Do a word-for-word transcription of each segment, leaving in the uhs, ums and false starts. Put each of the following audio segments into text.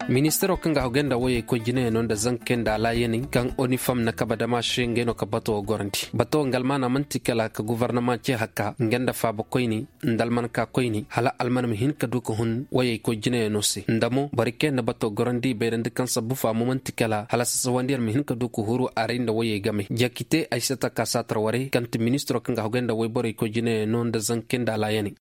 Ministiro kaŋ ga hagay nda wayey koy jinayaŋo nda zankey nda alaayaney kaŋ onifam na kaba dama se ngey no ka bato wo gorandi. Bato wo nga almaana man'ti kala ka gofornama ce haka nga nda faaba koyni nda almanka koyni hala alman ma hin ka du ka hun wayey koy jinayaŋo se nda mo borey kaŋ yaŋ na bato gorandi bayrandi kaŋ sabbu faamo man'ti kala hala sasawandiyaŋ ma hin ka du ka huru aray nda wayey game jakite ay si ta ka saatar warey kaŋ ti ministiro kaŋ ga hagay nda wayborey koy jinayaŋo nda zankey nda alaayaney.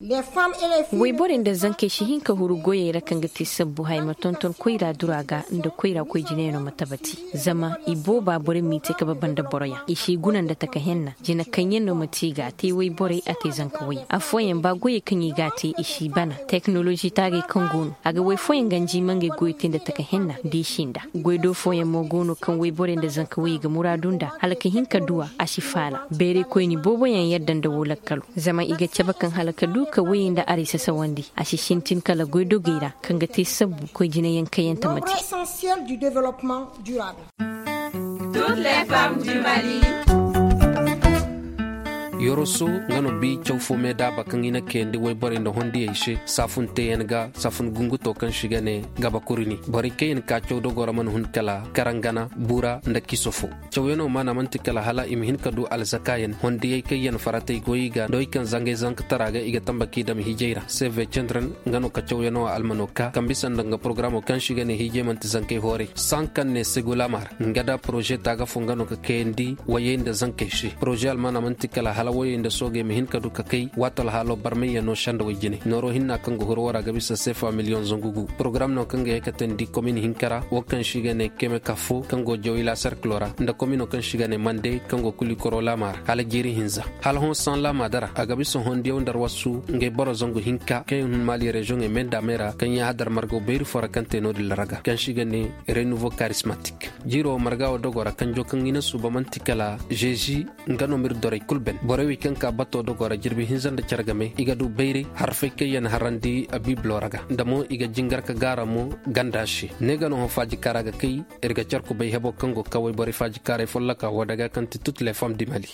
Wayborey nda zankey si hin ka huru goyey ra kaŋ ga te sabbu haya ma tonton koyra dura ga nda koyra koy jinayaŋo ma tabati. Zama i booba borey m'i te ka baba nda boroyaŋ i si guna nda taka henna jina kaŋ yaŋ no ma te i ga a te wayborey a te zanka wayey affooyaŋ ba goyey kaŋ i ga a te i si bana. Teknolozi taagey kaŋ go no a ga way fooyaŋ ganji ma ngey goyo te nda taka henna da i si nda. Goy do fooyaŋ mo go no kaŋ wayborey nda zanka wayey ga muraadu nda hala ka hin ka du a a si faala. Bayray koyni booboyaŋ yadda nda woo lakkalo zama i ga cabe kaŋ hala ka du ka wayey nda aray sasawandi a si sintin kala goydogey ra kaŋ ga te sabbu koy jinayaŋ kaŋ yaŋ tamati. Yoroso nga no bi caw fo me daaba kaŋ i na kayandi wayborey nda hondiyey se saafun teeyaŋ ga saafun gunguto kaŋ se i ga ne gaba kurini borey kaŋ yaŋ ka caw dogoo ra mana hun kala karangana buura nda kiso fo. Cawyanoo maana man'ti kala hala i ma hin ka du alzakaayaŋ hondiyey kaŋ yaŋ faratey goy i ga nda wey kaŋ zangey zankatara ga i ga tamba k'i dam hiijey ra seve cendren nga no ka cawyanoo almano ka kaŋ bisa nda nga porogaramoo kaŋ se i ga ne hiijey man'ti zankey hooray saŋ kaŋ ne segu laamaar nga nda poroze taaga fo nga no ka kayandi wayey nda zankey se poroze almaana man'ti kala hala wayey nda soogey ma hin ka du ka kay waati alhaaloo barmayyanoo sendawey jine nooroo hinna kaŋ ga huru woo ra ga bisa sefa miliyoŋ zangu gu porogaram no kaŋ ga ye ka teendi komin hinka ra woo kaŋ se i ga ne keme kafo kaŋ go jawila serkiloo ra nda kominoo kaŋ se i ga ne mande kaŋ go kulikoroo laama ra hala jiiri hinza hala hõ saŋ laama dara a ga bisa hondiyaw nda arwasu ngey boro zangu hinka kaŋ yaŋ hun maali reziyoŋey me nda a me ra kaŋ yaahadar margaw bayri foo ra kaŋ te no-din ra raga kaŋ se i ga ne renuvo karismatik. Jiiroo marga woo dogoo ra kanjoo kaŋ i na suuba man'ti kala žezi nga no m'ir dorey kul ben borey wey kaŋ ka batoo dogoo ra jirbi hinza nda care game i ga du bayray harfey kaŋ yaŋ harandi abiibiloo ra ga nda mo i ga jingar ka gaara mo ganda se ne ga no hõ faajikaara ga kay. Ir ga car kubay heboo kaŋ go kawey borey faajikaaray folloka woo daga kaŋ ti tut le fam di mali.